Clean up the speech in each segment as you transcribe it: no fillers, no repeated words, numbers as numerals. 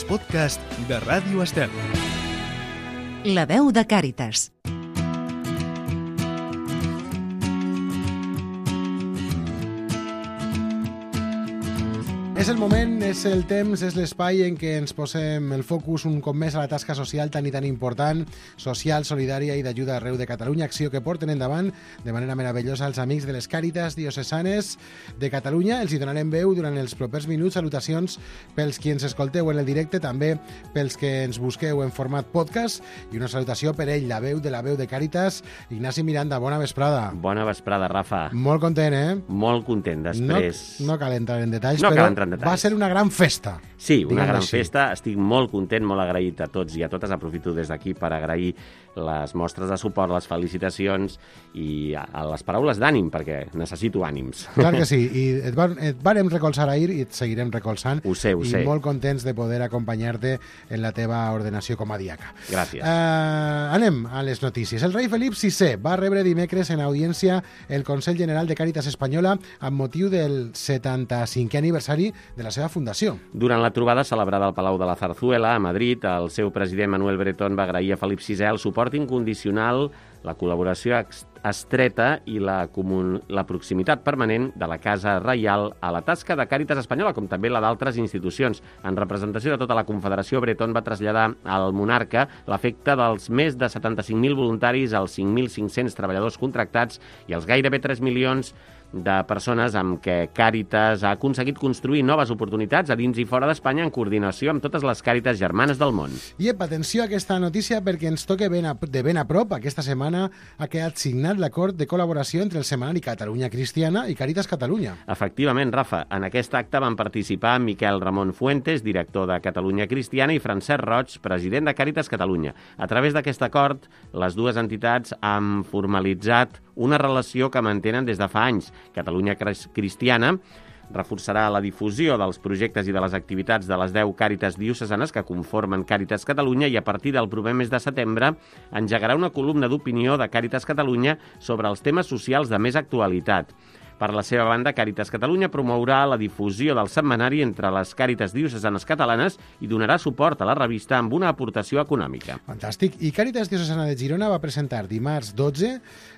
els podcasts de Ràdio Estel. La veu de Càritas. És el moment, és el temps, és l'espai en què ens posem el focus un cop més a la tasca social tan i tan important, social, solidària i d'ajuda arreu de Catalunya, acció que porten endavant de manera meravellosa els amics de les Càritas diocesanes de Catalunya. Els hi donarem veu durant els propers minuts. Salutacions pels qui ens escolteu en el directe, també pels que ens busqueu en format podcast, i una salutació per ell, la veu de Càritas, Ignasi Miranda. Bona vesprada. Bona vesprada, Rafa. Molt content, eh? Molt content, després. No cal entrar en detalls, no però va ser detalls. una gran festa. Sí, una gran festa. Estic molt content, molt agraït a tots i a totes. Aprofito des d'aquí per agrair les mostres de suport, les felicitacions i a les paraules d'ànim, perquè necessito ànims. Clar que sí, i et vàrem recolzar ahir i et seguirem recolzant. Ho sé. I molt contents de poder acompanyar-te en la teva ordenació com a diaca. Gràcies. Anem a les notícies. El rei Felip VI va rebre dimecres en audiència el Consell General de Càritas Espanyola amb motiu del 75è aniversari de la seva fundació. Durant la trobada celebrada al Palau de la Zarzuela, a Madrid, el seu president Manuel Bretón va agrair a Felip VI el suport incondicional, la col·laboració estreta i la proximitat permanent de la Casa Reial a la tasca de Càritas Espanyola, com també la d'altres institucions. En representació de tota la Confederació, Bretón va traslladar al monarca l'afecte dels més de 75.000 voluntaris, els 5.500 treballadors contractats i els gairebé 3 milions de persones amb què Càritas ha aconseguit construir noves oportunitats a dins i fora d'Espanya en coordinació amb totes les Càritas germanes del món. I atenció a aquesta notícia perquè ens toca de ben a prop. Aquesta setmana ha quedat signat l'acord de col·laboració entre el setmanari Catalunya Cristiana i Càritas Catalunya. Efectivament, Rafa, en aquest acte van participar Miquel Ramon Fuentes, director de Catalunya Cristiana, i Francesc Roig, president de Càritas Catalunya. A través d'aquest acord, les dues entitats han formalitzat una relació que mantenen des de fa anys. Catalunya Cristiana reforçarà la difusió dels projectes i de les activitats de les 10 Càritas diocesanes que conformen Càritas Catalunya i a partir del proper mes de setembre engegarà una columna d'opinió de Càritas Catalunya sobre els temes socials de més actualitat. Per la seva banda, Càritas Catalunya promourà la difusió del setmanari entre les Càritas diocesanes catalanes i donarà suport a la revista amb una aportació econòmica. Fantàstic. I Càritas Diocesana de Girona va presentar dimarts 12,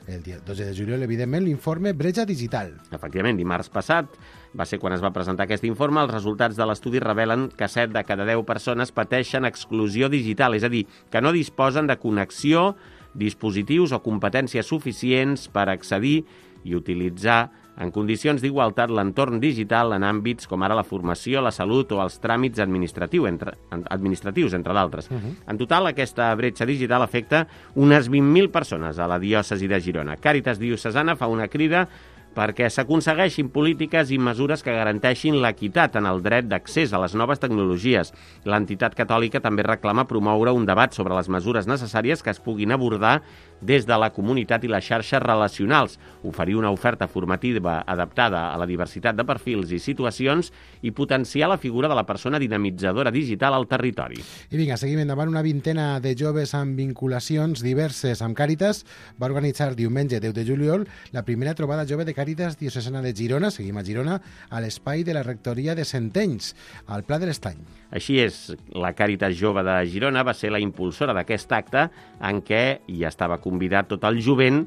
el dia 12 de juliol, evidentment, l'informe Bretxa Digital. Efectivament, dimarts passat va ser quan es va presentar aquest informe. Els resultats de l'estudi revelen que 7 de cada 10 persones pateixen exclusió digital, és a dir, que no disposen de connexió, dispositius o competències suficients per accedir i utilitzar en condicions d'igualtat l'entorn digital en àmbits com ara la formació, la salut o els tràmits administratius, entre d'altres. En total, aquesta bretxa digital afecta unes 20.000 persones a la diòcesi de Girona. Càritas Diocesana fa una crida perquè s'aconsegueixin polítiques i mesures que garanteixin l'equitat en el dret d'accés a les noves tecnologies. L'entitat catòlica també reclama promoure un debat sobre les mesures necessàries que es puguin abordar des de la comunitat i les xarxes relacionals, oferir una oferta formativa adaptada a la diversitat de perfils i situacions i potenciar la figura de la persona dinamitzadora digital al territori. I vinga, seguim endavant. Una vintena de joves amb vinculacions diverses amb Càritas va organitzar diumenge 10 de juliol la primera trobada jove de Càritas Diocesana de Girona, seguim a Girona, a l'espai de la rectoria de Centenys, al Pla de l'Estany. Així és, la Càritas Jove de Girona va ser la impulsora d'aquest acte en què hi estava convidat tot el jovent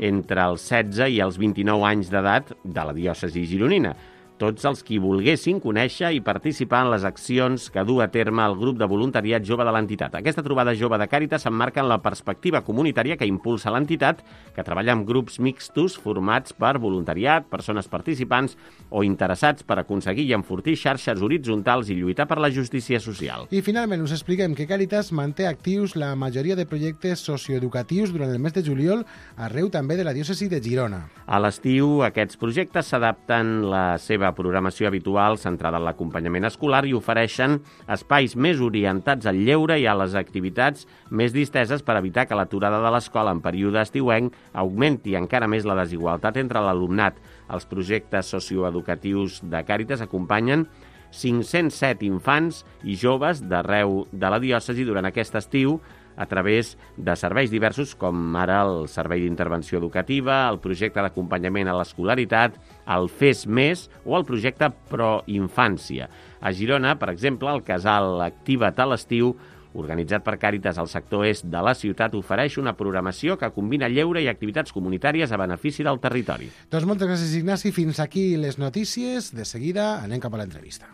entre els 16 i els 29 anys d'edat de la diòcesi gironina. Tots els qui volguessin conèixer i participar en les accions que du a terme el grup de voluntariat jove de l'entitat. Aquesta trobada jove de Càritas s'emmarca en la perspectiva comunitària que impulsa l'entitat, que treballa amb grups mixtos formats per voluntariat, persones participants o interessats per aconseguir i enfortir xarxes horitzontals i lluitar per la justícia social. I finalment us expliquem que Càritas manté actius la majoria de projectes socioeducatius durant el mes de juliol arreu també de la diòcesi de Girona. A l'estiu, aquests projectes s'adapten la seva programació habitual centrada en l'acompanyament escolar i ofereixen espais més orientats al lleure i a les activitats més disteses per evitar que l'aturada de l'escola en període estiuenc augmenti encara més la desigualtat entre l'alumnat. Els projectes socioeducatius de Càritas acompanyen 507 infants i joves d'arreu de la diòcesi durant aquest estiu a través de serveis diversos, com ara el Servei d'Intervenció Educativa, el projecte d'acompanyament a l'escolaritat, el FES Més o el projecte Proinfància. A Girona, per exemple, el casal Activa't a l'estiu, organitzat per Càritas al sector est de la ciutat, ofereix una programació que combina lleure i activitats comunitàries a benefici del territori. Doncs moltes gràcies, Ignasi. Fins aquí les notícies. De seguida anem cap a l'entrevista.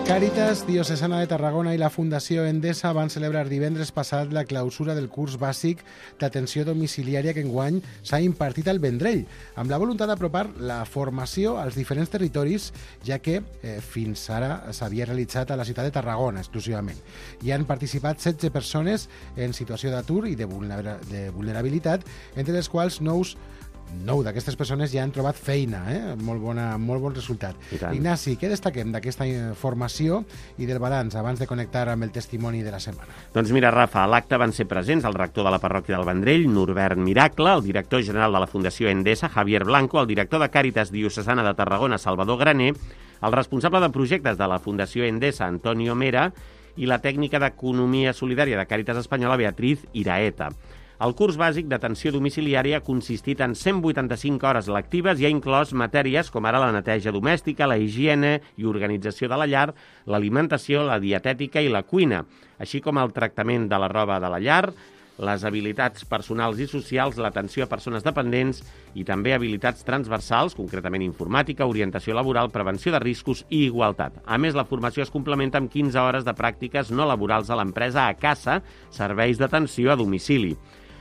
Càritas Diocesana de Tarragona i la Fundació Endesa van celebrar divendres passat la clausura del curs bàsic d'atenció domiciliària que enguany s'ha impartit al Vendrell, amb la voluntat d'apropar la formació als diferents territoris, ja que fins ara s'havia realitzat a la ciutat de Tarragona exclusivament. Hi han participat 16 persones en situació d'atur i de vulnerabilitat, entre les quals 9 d'aquestes persones ja han trobat feina, molt bon resultat. Ignasi, què destaquem d'aquesta formació i del balanç abans de connectar amb el testimoni de la setmana? Doncs mira, Rafa, a l'acte van ser presents el rector de la parròquia del Vendrell, Norbert Miracle, el director general de la Fundació Endesa, Javier Blanco, el director de Càritas Diocesana de Tarragona, Salvador Graner, el responsable de projectes de la Fundació Endesa, Antonio Mera, i la tècnica d'Economia Solidària de Càritas Espanyola, Beatriz Iraeta. El curs bàsic d'atenció domiciliària ha consistit en 185 hores lectives i ha inclòs matèries com ara la neteja domèstica, la higiene i organització de la llar, l'alimentació, la dietètica i la cuina, així com el tractament de la roba de la llar, les habilitats personals i socials, l'atenció a persones dependents i també habilitats transversals, concretament informàtica, orientació laboral, prevenció de riscos i igualtat. A més, la formació es complementa amb 15 hores de pràctiques no laborals a l'empresa a casa, serveis d'atenció a domicili.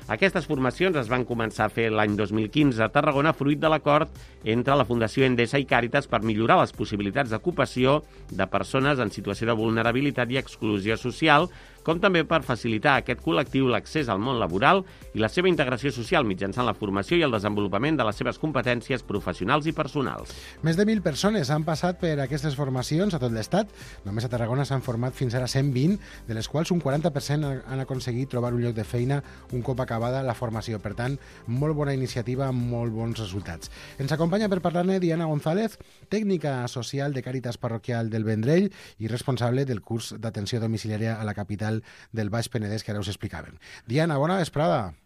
Aquestes formacions es van començar a fer l'any 2015 a Tarragona, fruit de l'acord entre la Fundació Endesa i Càritas per millorar les possibilitats d'ocupació de persones en situació de vulnerabilitat i exclusió social, com també per facilitar a aquest col·lectiu l'accés al món laboral i la seva integració social mitjançant la formació i el desenvolupament de les seves competències professionals i personals. Més de 1.000 persones han passat per aquestes formacions a tot l'estat. Només a Tarragona s'han format fins ara 120, de les quals un 40% han aconseguit trobar un lloc de feina un cop acabada la formació. Per tant, molt bona iniciativa, molt bons resultats. Ens acompanya per parlar-ne Diana González, tècnica social de Càritas Parroquial del Vendrell i responsable del curs d'atenció domiciliària a la capital del Baix Penedès, que ara us explicaven. Diana, bona vesprada.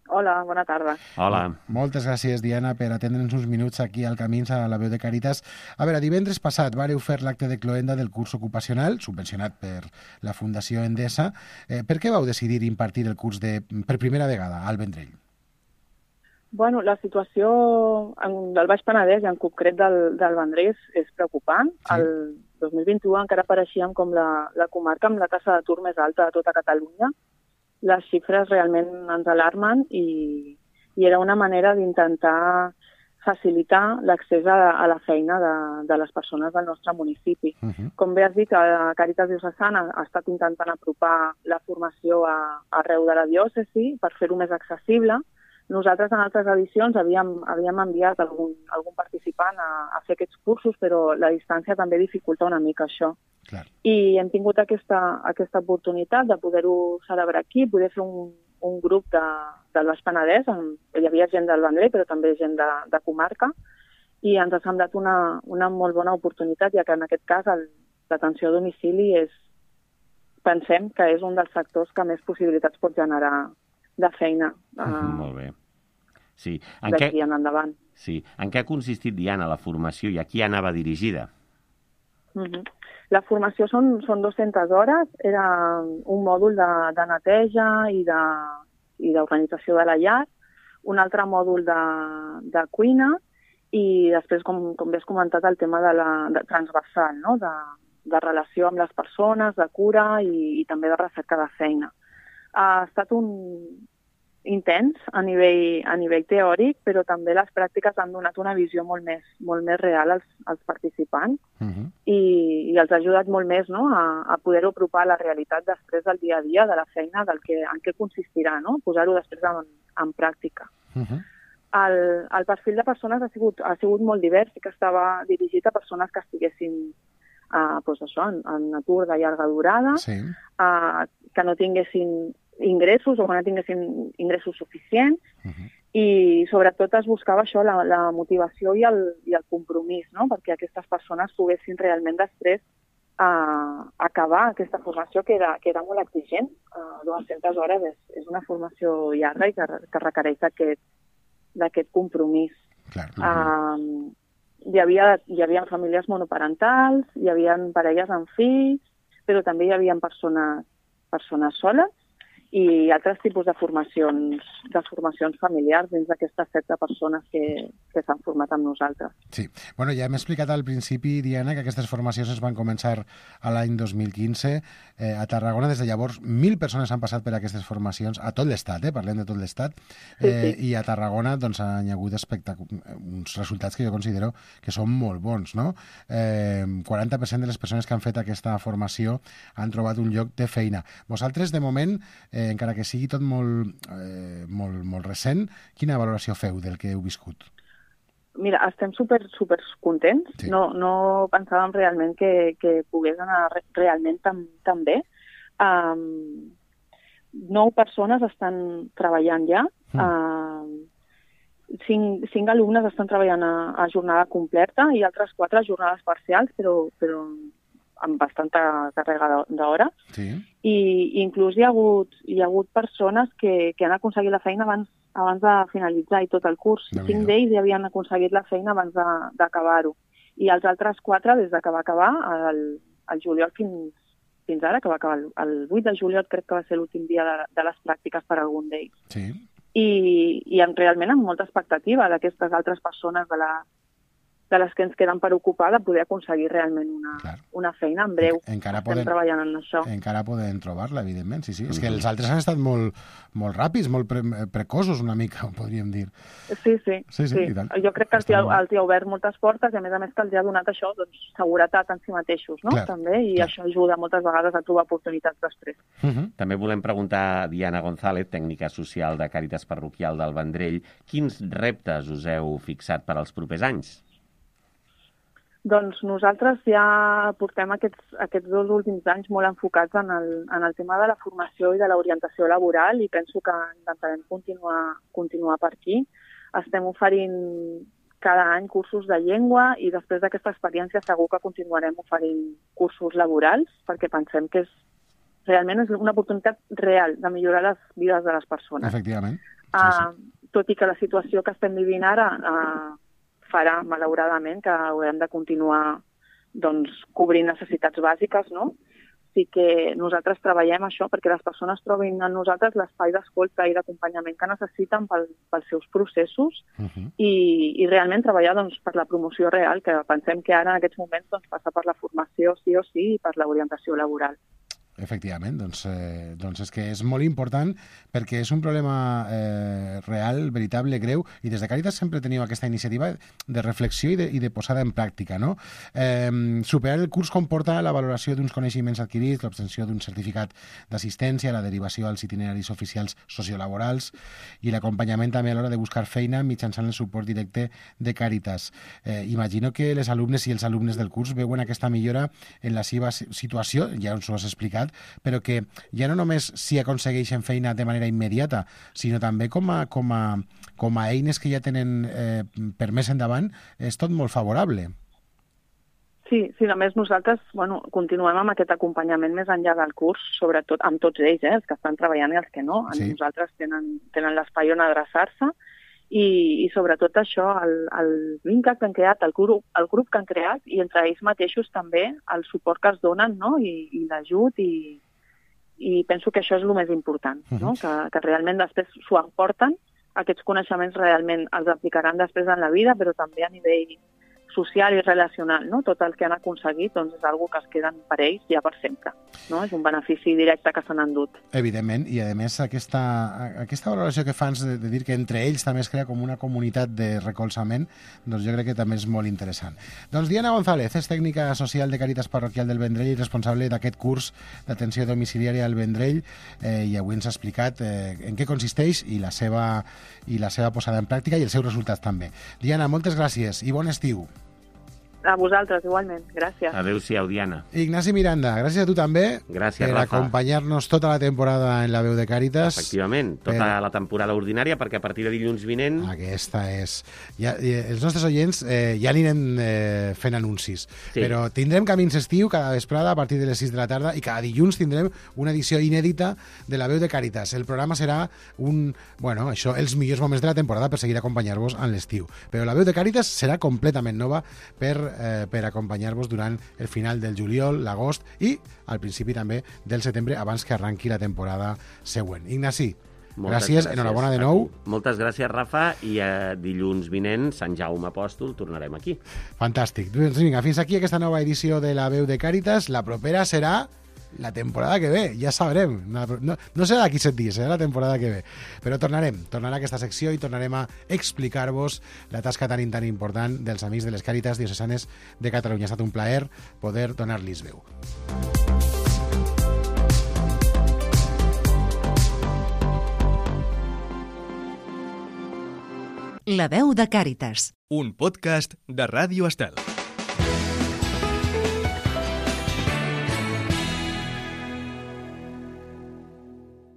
Hola, bona tarda. Hola. Moltes gràcies, Diana, per atendre'ns uns minuts aquí al Camins a la veu de Càritas. A veure, divendres passat vareu fer l'acte de cloenda del curs ocupacional, subvencionat per la Fundació Endesa. Per què vau decidir impartir el curs per primera vegada al Vendrell? Bueno, la situació del Baix Penedès i en concret del Vendrell és preocupant. Sí. El 2021 encara apareixíem com la comarca amb la taxa d'atur més alta de tota Catalunya. Les xifres realment ens alarmen i era una manera d'intentar facilitar l'accés a la feina de les persones del nostre municipi. Com bé has dit, Càritas Diocesana ha estat intentant apropar la formació arreu de la diòcesi per fer-ho més accessible. Nosaltres en altres edicions havíem enviat algun participant a fer aquests cursos, però la distància també dificulta una mica això. Clar. I hem tingut aquesta oportunitat de poder-ho celebrar aquí, poder fer un grup del Baix Penedès, hi havia gent del Vendrell, però també gent de comarca, i ens ha semblat una molt bona oportunitat, ja que en aquest cas l'atenció a domicili pensem que és un dels sectors que més possibilitats pot generar de feina molt bé. Sí. D'aquí en endavant. Sí. En què ha consistit, Diana, la formació i a qui anava dirigida? La formació són 200 hores, era un mòdul de neteja i d'organització de la llar, un altre mòdul de cuina i després, com bé has comentat, el tema de transversal, no? de relació amb les persones, de cura i també de recerca de feina. Ha estat un intens a nivell teòric, però també les pràctiques han donat una visió molt més real als participants i els ha ajudat molt més, no? a poder-ho apropar a la realitat després del dia a dia de la feina, en què consistirà, no? Posar-ho després en pràctica. El perfil de persones ha sigut molt divers i que estava dirigit a persones que estiguessin en atur de llarga durada, que no tinguessin ingressos o que no tinguessin ingressos suficients, i sobretot es buscava això, la motivació i el compromís, no? Perquè aquestes persones poguessin realment després acabar aquesta formació que era molt exigent. 200 hores és una formació llarga i que requereix d'aquest compromís. Clar. Hi havia famílies monoparentals, hi havia parelles amb fills, però també hi havia persones soles i altres tipus de formacions familiars dins d'aquestes 16 persones que s'han format amb nosaltres. Sí. Bueno, ja hem explicat al principi, Diana, que aquestes formacions es van començar a l'any 2015. A Tarragona, des de llavors, 1.000 persones han passat per aquestes formacions, a tot l'estat, parlem de tot l'estat, sí. I a Tarragona doncs, han hagut uns resultats que jo considero que són molt bons, no? 40% de les persones que han fet aquesta formació han trobat un lloc de feina. Vosaltres, de moment, encara que sigui tot molt recent, quina valoració feu del que heu viscut? Mira, estem super contents. Sí. No pensàvem realment que pogués anar realment tan bé. 9 persones estan treballant ja. 5 alumnes estan treballant a jornada completa i altres 4 a jornades parcials, però amb bastanta càrrega d'hora. Sí. I inclús hi ha hagut persones que han aconseguit la feina abans de finalitzar i tot el curs. 5 d'ells ja havien aconseguit la feina abans d'acabar-ho. I els altres 4 des que va acabar el juliol fins ara, que va acabar el 8 de juliol, crec que va ser l'últim dia de les pràctiques per a algun d'ells. Sí. I realment amb molta expectativa d'aquestes altres persones de les que ens queden per ocupar, de poder aconseguir realment una feina en breu. Estem treballant en això. Encara poden trobar-la, evidentment, sí. És que els altres han estat molt ràpids, molt precoços una mica, podríem dir. Sí. Jo crec que els hi ha obert moltes portes i a més que els hi ha donat això, doncs, seguretat en si mateixos, no? També, i això ajuda moltes vegades a trobar oportunitats després. També volem preguntar a Diana González, tècnica social de Càritas Parroquial del Vendrell, quins reptes us heu fixat per als propers anys? Doncs nosaltres ja portem aquests 2 últims anys molt enfocats en el tema de la formació i de l'orientació laboral i penso que intentarem continuar per aquí. Estem oferint cada any cursos de llengua i després d'aquesta experiència segur que continuarem oferint cursos laborals perquè pensem que realment és una oportunitat real de millorar les vides de les persones. Efectivament. Tot i que la situació que estem vivint ara farà, malauradament, que haurem de continuar cobrint necessitats bàsiques, no? Sí que nosaltres treballem això perquè les persones trobin en nosaltres l'espai d'escolta i d'acompanyament que necessiten pels seus processos i realment treballar per la promoció real, que pensem que ara en aquests moments passa per la formació sí o sí i per l'orientació laboral. Efectivament, doncs és que és molt important perquè és un problema real, veritable, greu, i des de Càritas sempre teniu aquesta iniciativa de reflexió i de posada en pràctica, no? Superar el curs comporta la valoració d'uns coneixements adquirits, l'obtenció d'un certificat d'assistència, la derivació als itineraris oficials sociolaborals i l'acompanyament també a l'hora de buscar feina mitjançant el suport directe de Càritas. Imagino que les alumnes i els alumnes del curs veuen aquesta millora en la seva situació, ja ens ho has explicat, però que ja no només s'hi aconsegueixen feina de manera immediata, sinó també com a eines que ja tenen per més endavant, és tot molt favorable. Sí, a més nosaltres continuem amb aquest acompanyament més enllà del curs, sobretot amb tots ells, els que estan treballant i els que no. Nosaltres tenen l'espai on adreçar-se i sobretot això, el vincle que han creat, el grup que han creat i entre ells mateixos també el suport que es donen, no? I l'ajut i penso que això és el més important, no? Que realment després s'ho emporten, aquests coneixements realment els aplicaran després en la vida, però també a nivell social i relacional, no? Tot el que han aconseguit és algo que es queden per ells ja per sempre, no? És un benefici directe que s'han endut. Evidentment, i a més aquesta valoració que fans de dir que entre ells també es crea com una comunitat de recolzament, doncs jo crec que també és molt interessant. Doncs Diana González és tècnica social de Càritas Parroquial del Vendrell i responsable d'aquest curs d'atenció domiciliària al Vendrell, i avui ens ha explicat en què consisteix i la seva posada en pràctica i els seus resultats també. Diana, moltes gràcies i bon estiu. A vosaltres, igualment. Gràcies. Adéu-siau, Diana. Ignasi Miranda, gràcies a tu també. Gràcies, per Rafa. acompanyar-nos tota la temporada en La Veu de Càritas. Efectivament, tota la temporada ordinària, perquè a partir de dilluns vinent... Aquesta és... Els nostres oients ja anirem fent anuncis, però tindrem Camins Estiu cada vesprada a partir de les 6 de la tarda i cada dilluns tindrem una edició inèdita de La Veu de Càritas. El programa serà els millors moments de la temporada per seguir acompanyar-vos en l'estiu. Però La Veu de Càritas serà completament nova per acompanyar-vos durant el final del juliol, l'agost i al principi també del setembre, abans que arranqui la temporada següent. Ignasi, gràcies, enhorabona de nou. Moltes gràcies, Rafa, i dilluns vinent, Sant Jaume Apòstol, tornarem aquí. Fantàstic. Doncs vinga, fins aquí aquesta nova edició de La Veu de Càritas. La propera serà la temporada que ve, ja sabrem. No serà d'aquí 7 dies, serà la temporada que ve. Però tornarà aquesta secció i tornarem a explicar-vos la tasca tan important dels amics de les Càritas Diocesanes de Catalunya. Ha estat un plaer poder donar-los veu. La Veu de Càritas. Un podcast de Ràdio Estel.